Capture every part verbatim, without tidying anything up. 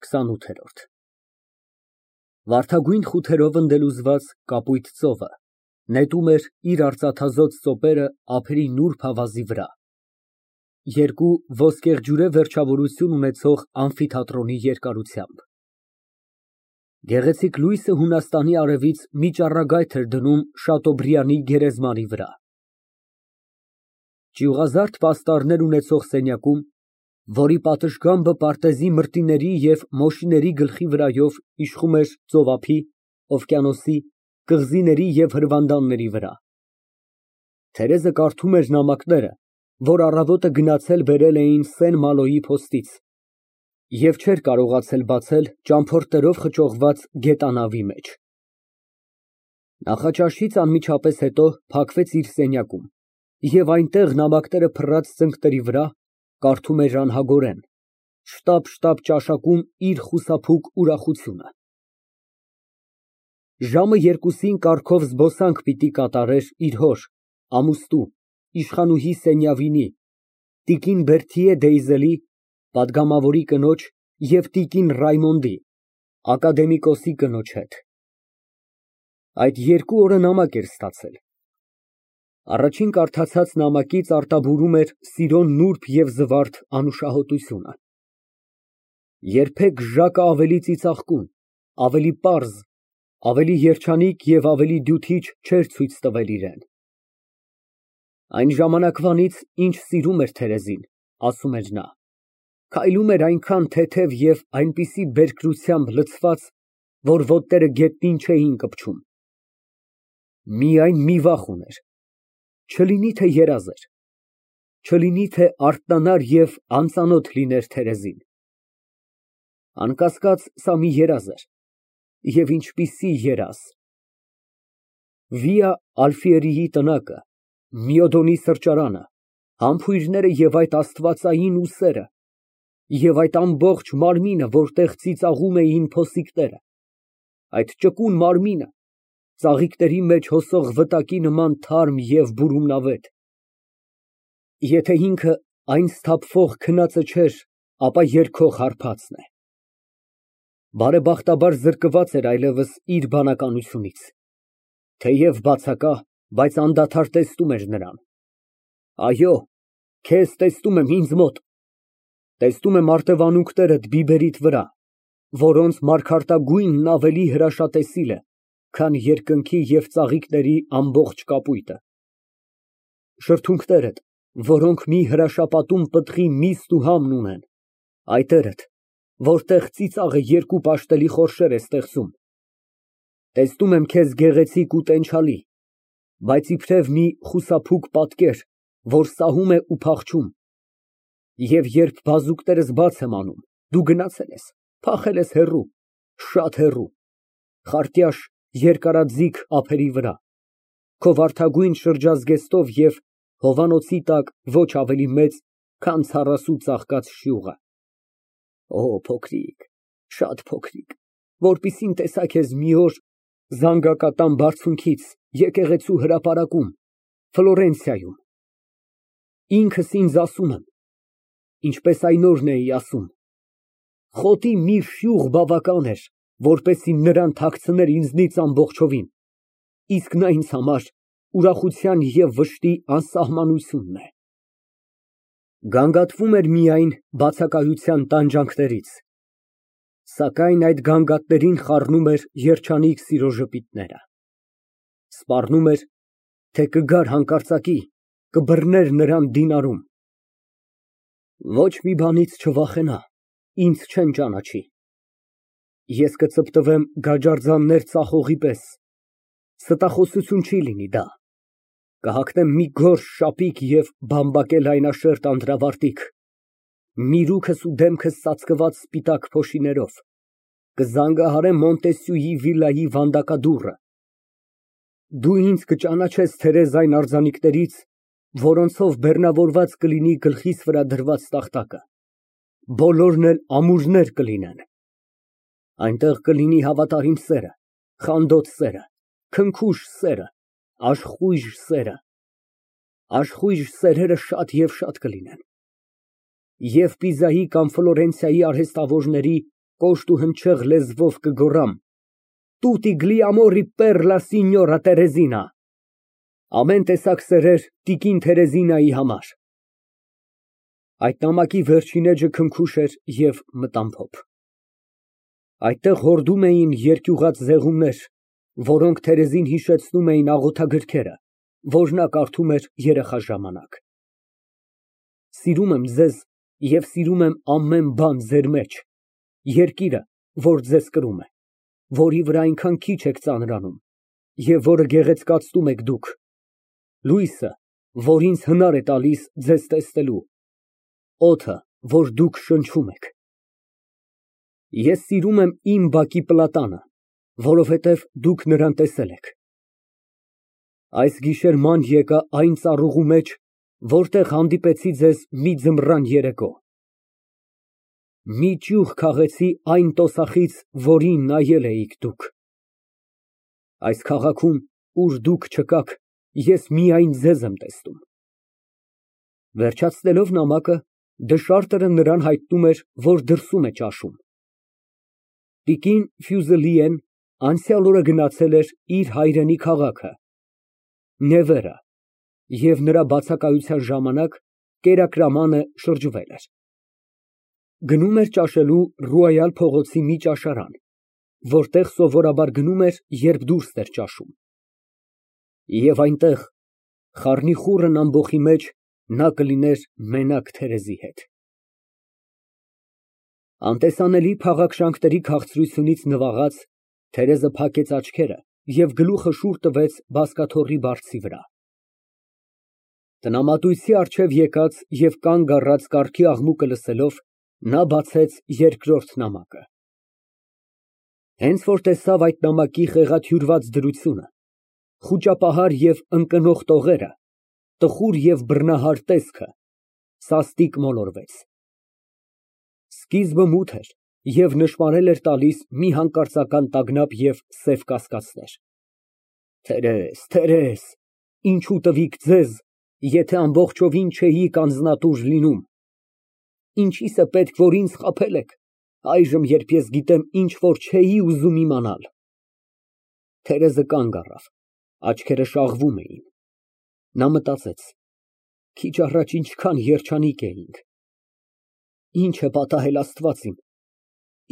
քսանութ Վարդագույն խութերով ընդելուզված կապույտ ծովը նետում էր իր արծաթազօծ ծոպերը ափերի նուրբ ավազի վրա, երկու ոսկեղջյուրե վերջավորություն ունեցող ամֆիթատրոնի երկարությամբ։ Գեղեցիկ լույսը Հունաստանի արևից մի ճառագայթ էր դնում Շատոբրիանի գերեզմանի վրա։ Ճյուղազարդ պաստառներ ունեցող սենյակում, որի պատշգամբը պարտեզի մրտիների և մոշիների գլխի վրայով իշխում էր ծովափի, օվկիանոսի, կղզիների և հրվանդանների վրա, Թերեզը կարդում էր նամակները, որ առավոտը գնացել բերել էին Սեն֊Մալոյի փոստից և չէր կարողացել բացել ճամփորդներով խճողված գետանավի մեջ։ Նախաճաշից անմիջապես հետո փակվեց իր սենյակում և այնտեղ նամակները փռած ծնկների վրա կարդում էր անհագորեն, շտապ֊շտապ ճաշակում իր խուսափուկ ուրախությունը։ Ժամը երկուսին կառքով զբոսանք պիտի կատարեր իր հոր, ամուսնու, իշխանուհի Սենյավինի, տիկին Բերթիե Դեյզելի, պատգամավորի կնոջ և տիկին Ռայմոնդի, ակադեմիկոսի կնոջ հետ։ Այդ երկու օրը նամակ էր ստացել։ Առաջին կարդացած նամակից արտաբուրում էր սիրո նուրբ և զվարթ անուշահոտությունը։ Երբեք Ժակը ավելի ծիծաղկուն, ավելի պարզ, ավելի երջանիկ և ավելի դյութիչ չէր ցույց տվել իրան։ Այն ժամանակվանից, ինչ սիրում էր Թերեզին, ասում էր նա, քայլում էր այնքան թեթև և այնպիսի բերկրությամբ լցված, որ ոտները գետնին չէին կպչում։ Միայն մի վախ ուներ. չլինի թե երազեր, չլինի թե արթնանար և անծանոթ լիներ Թերեզին։ Անկասկած, սա մի երազ էր, և ինչպիսի երազ… Վիա Ալֆիերիի տնակը, Մյոդոնի սրճարանը, համբույրները և այդ աստվածային ուսերը, և այդ ամբողջ մարմինը, որտեղ ծիծաղում էին փոսիկները, այդ ճկուն մարմինը, ծաղիկների մեջ հոսող վտակի նման թարմ և բուրումնավետ… Եթե ինքը այն սթափվող քնածը չէր, ապա երգող հարբածն է։ Բարեբախտաբար զրկված էր այլևս իր բանականությունից, թեև բացակա, բայց անդադար տեսնում էր նրան։ Այո, քեզ տեսնում եմ ինձ մոտ, տեսնում եմ արտևանունքներդ բիբերիդ վրա, որոնց մարգարտագույնն ավելի հրաշատեսիլ է, քան երկնքի և ծաղիկների ամբողջ կապույտը, շրթունքներդ, որոնք մի հրաշապատում պտղի միստ ու համն ունեն, այտերդ, որտեղ ծիծաղը երկու պաշտելի խորշեր է ստեղծում, տեսնում եմ քեզ գեղեցիկ ու տենչալի, բայց իբրև մի խուսափուկ պատկեր, որ սահում է ու փախչում, և երբ բազուկներս բաց եմ անում, դու գնացել ես, փախել ես հեռու, շատ հեռու, խարտյաշ, երկարաձիգ ափերի վրա, քո վարդագույն շրջազգեստով և հովանոցի տակ ոչ ավելի մեծ, քան ցառասու ծաղկած շյուղը… Օ փոքրիկ, շատ փոքրիկ, որպեսզի տեսա քեզ մի օր զանգակատան բարձունքից եկեղեցու հրապարակում, Ֆլորենցիայում… Ինքս ինձ ասում եմ, ինչպես այն օրն էի ասում, խոտի մի շյուղ բավական էր, որպեսզի նրան թաքցներ ինձնից ամբողջովին, իսկ նա ինձ համար ուրախության և վշտի անսահմանությունն է… Գանգատվում էր միայն բացակայության տանջանքներից, սակայն այդ գանգատներին խառնում էր երջանիկ սիրո ժպիտները, սպառնում էր, թե կգար հանկարծակի, կբռներ նրան դինարում… Ոչ մի բանից չվախենա, ինձ չեն ճանաչի, ես կծպտվեմ գաջարձաններ ծախողի պես, ստախոսություն չի լինի դա, կհագնեմ մի գորշ շապիկ և բամբակե լայնաշերտ անդրավարտիք, միրուքս ու դեմքս ծածկված սպիտակ փոշիներով, կզանգահարեմ Մոնտեսյուի վիլայի վանդակադուռը… Դու ինձ կճանաչես Թերեզ այն արձանիկներից, որոնցով բեռնավորված կլինի գլխիս վրա դրված տախտակը, բոլորն էլ ամուրներ կլինեն… Այնտեղ կլինի հավատարիմ սերը, խանդոտ սերը, քնքուշ սերը, աշխույժ սերը… Աշխույժ սերերը շատ և շատ կլինեն… Եվ Պիզայի կամ Ֆլորենցիայի արհեստավորների կոշտ ու հնչեղ լեզվով կգոռամ. «Տուտի գլիամորի պեռլա սինյորա Տերեզինա»։ Ամեն տեսակ սերեր տիկին Թերեզինայի համար։ Այդ նամակի վերջին էջը քնքուշ էր և մտամփոփ։ Այդտեղ հորդում էին երկյուղած զեղումներ, որոնք Թերեզին հիշեցնում էին աղոթագրքերը, որ նա կարդում էր երեխա ժամանակ։ Սիրում եմ ձեզ և սիրում եմ ամեն բան ձեր մեջ, երկիրը, որ ձեզ կրում է, որի վրա այնքան քիչ եք ծանրանում և որը գեղեցկացնում եք դուք, լույսը, որ ինձ հնար է տալիս ձեզ տեսնելու, օդը, որ դուք շնչում եք։ Ես սիրում եմ իմ բակի պլատանը, որովհետև դուք նրան տեսել եք։ Այս գիշեր ման եկա այն ծառուղու մեջ, որտեղ հանդիպեցի ձեզ մի ձմռան երեկո։ Մի ճյուղ քաղեցի այն տոսախից, որին նայել էիք դուք։ Այս քաղաքում, ուր դուք չկաք, ես միայն ձեզ եմ տեսնում։ Վերջացնելով նամակը, դշարտերը նրան հայտնում էր, որ դրսում է ճաշում։ Տիկին Ֆյուզելիեն անցյալ օրը գնացել էր իր հայրենի քաղաքը Նևերը և նրա բացակայության ժամանակ կերակրամանը շրջվել էր։ Գնում էր ճաշելու Ռոյալ փողոցի մի ճաշարան, որտեղ սովորաբար գնում էր, երբ դուրս էր ճաշում։ Եվ այնտեղ, խառնիխուռն ամբոխի մեջ, նա կլիներ մենակ Թերեզի հետ։ Անտեսանելի փաղաքշանքների քաղցրությունից նվաղած, Թերեզը փակեց աչքերը և գլուխը շուռ տվեց բազկաթոռի բարձի վրա։ Տնամատույցի առջև եկած և կանգ առած կառքի աղմուկը լսելով, նա բացեց երկրորդ նամակը։ Հենց որ տեսավ այդ նամակի խեղաթյուրված դրությունը, խուճապահար և ընկնող տողերը, տխուր և բռնահար տեսքը, սաստիկ մոլորվեց։ Սկիզբը մութ էր և նշմարել էր տալիս մի հանկարծական տագնապ և սև կասկածներ։ Տերեզ, Տերեզ, ինչու տվիք ձեզ, եթե ամբողջովին չէիք անձնատուր լինում։ Ինչիս է պետք, որ ինձ խաբել եք, այժմ, երբ ես գիտեմ ինչ որ չէի ուզում իմանալ։ Թերեզը կանգ առավ, աչքերը շաղվում էին։ Նա մտածեց. քիչ առաջ ինչքան երջանիկ էինք։ Ինչ է պատահել Աստված իմ,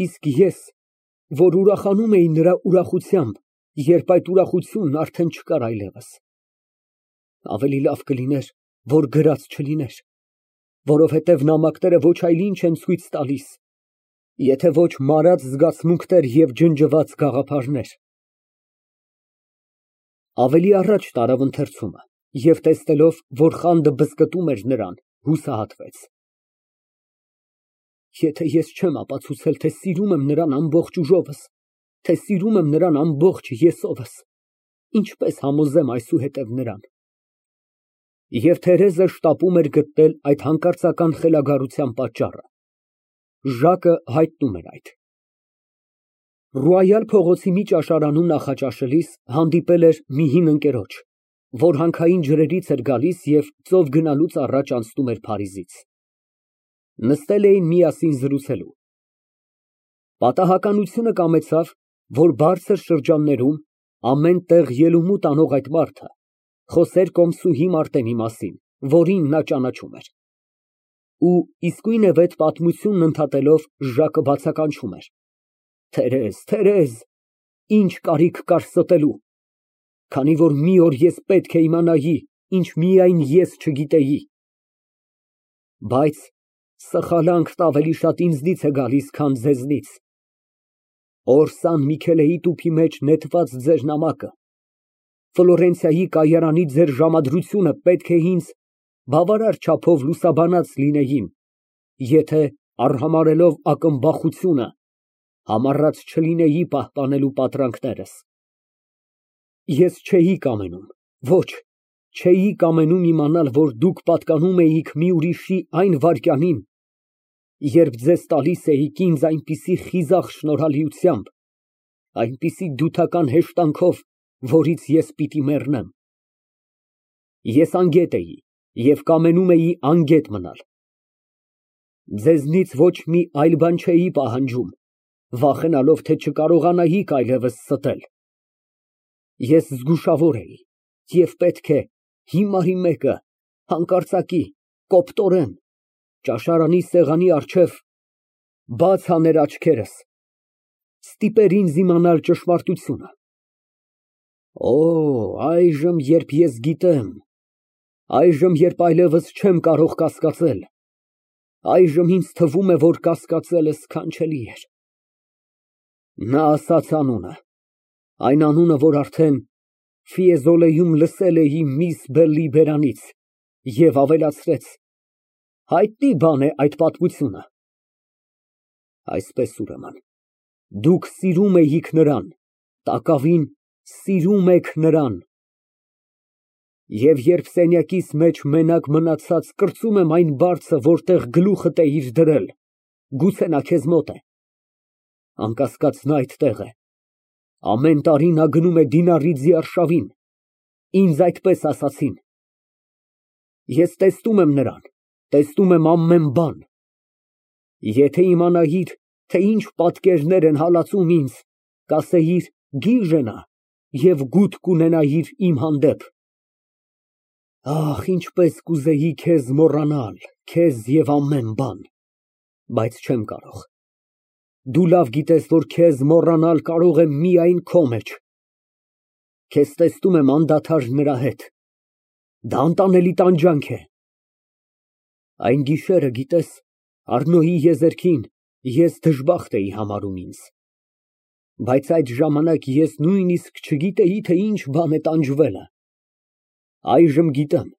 իսկ ես, որ ուրախանում էի նրա ուրախությամբ, երբ այդ ուրախությունն արդեն չկար այլևս։ Ավելի լավ կլիներ, որ գրած չլիներ, որովհետև նամակները ոչ այլ ինչ են ցույց տալիս, եթե ոչ մարած զգացմունքներ և ջնջված գաղափարներ։ Ավելի առաջ տարավ ընթերցումը և տեսնելով, որ խանդը բզկտում էր նրան, հուսահատվեց։ Եթե ես չեմ ապացուցել, թե սիրում եմ նրան ամբողջ ուժովս, թե սիրում եմ նրան ամբողջ եսովս, ինչպե՞ս համոզեմ այսուհետև նրան։ Եվ Թերեզը շտապում էր գտնել այդ հանկարծական խելագարության պատճառը։ Ժակը հայտնում էր այդ։ Ռոյալ փողոցի մի ճաշարանում նախաճաշելիս հանդիպել էր մի հին ընկերոջ, որ հանքային ջրերից էր գալիս և ծով գնալուց առաջ անցնում էր Փարիզից։ Նստել էին միասին զրուցելու։ Պատահականությունը կամեցավ, որ բարձր շրջաններում ամեն տեղ ելումուտ անող այդ մարդը խոսեր կոմսուհի Մարտենի մասին, որին նա ճանաչում էր։ Ու իսկույնևեթ պատմությունն ընդհատելով Ժակը բացականչում էր. Թերեզ, Թերեզ, ինչ կարիք կար ստելու, քանի որ մի օր ես պետք է իմանայի, ինչ միայն ես չգիտեի։ Բայց սխալանքն ավելի շատ ինձնից է գալիս, քան ձեզնից։ Օր Սան Միքելեի տուփի մեջ նետված ձեր նամակը, Ֆլորենցիայի կայարանի ձեր ժամադրությունը պետք է ինձ բավարար չափով լուսաբանած լինեին, եթե, արհամարհելով ակնբախությունը, համառած չլինեի պահպանելու պատրանքներս։ Ես չէի կամենում, ոչ, չէի կամենում իմանալ, որ դուք պատկանում էիք մի ուրիշի այն վայրկյանին, երբ ձեզ տալիս էիք ինձ այնպիսի խիզախ շնորհալիությամբ, այնպիսի դյութական հեշտանքով, որից ես պիտի մեռնեմ։ Ես անգետ էի և կամենում էի անգետ մնալ։ Ձեզնից ոչ մի այլ բան չէի պահանջում, վախենալով, թե չկարողանայիք այլևս ստել։ Ես զգուշավոր էի և պետք է հիմարի մեկը հանկարծակի, կոպտորեն, ճաշարանի սեղանի առջև բաց աներ աչքերս, ստիպեր ինձ իմանալ ճշմարտությունը։ Օ, այժմ, երբ ես գիտեմ, այժմ, երբ այլևս չեմ կարող կասկածել, այժմ ինձ թվում է, որ կասկածելը սքանչելի էր։ Նա ասաց անունը, այն անունը, որ արդեն Ֆիեզոլեում լսել էի միս Բելլի բերանից, և ավելացրեց. հայտնի բան է այդ պատմությունը։ Այսպես, ուրեմն, դուք սիրում էիք նրան, տակավին սիրում եք նրան։ Եվ երբ սենյակիս մեջ մենակ մնացած կրծում եմ այն բարձը, որտեղ գլուխդ էիր դրել, գուցե նա քեզ մոտ է։ Անկասկած, նա այդտեղ է։ Ամեն տարի նա գնում է դինարիձի արշավին, ինձ այդպես ասացին։ Ես տեսնում եմ նրան, տեսնում եմ ամեն բան։ Եթե իմանայիր, թե ինչ պատկերներ են հալածում ինձ, կասեիր գիժ է նա և գութ կունենայիր իմ հանդեպ։ Ախ, ինչպես կուզեի քեզ մոռանալ, քեզ և ամեն բան, բայց չեմ կարող։ Դու լավ գիտես, որ քեզ մոռանալ կարող եմ միայն քո մեջ։ Քեզ տեսնում եմ անդադար նրա հետ։ Դա անտանելի տանջանք է։ Այն գիշերը, գիտես, Առնոյի եզերքին ես դժբախտ էի համարում ինձ, բայց այդ ժամանակ ես նույնիսկ չգիտեի, թե ինչ բան է տանջվելը։ Այժմ գիտեմ,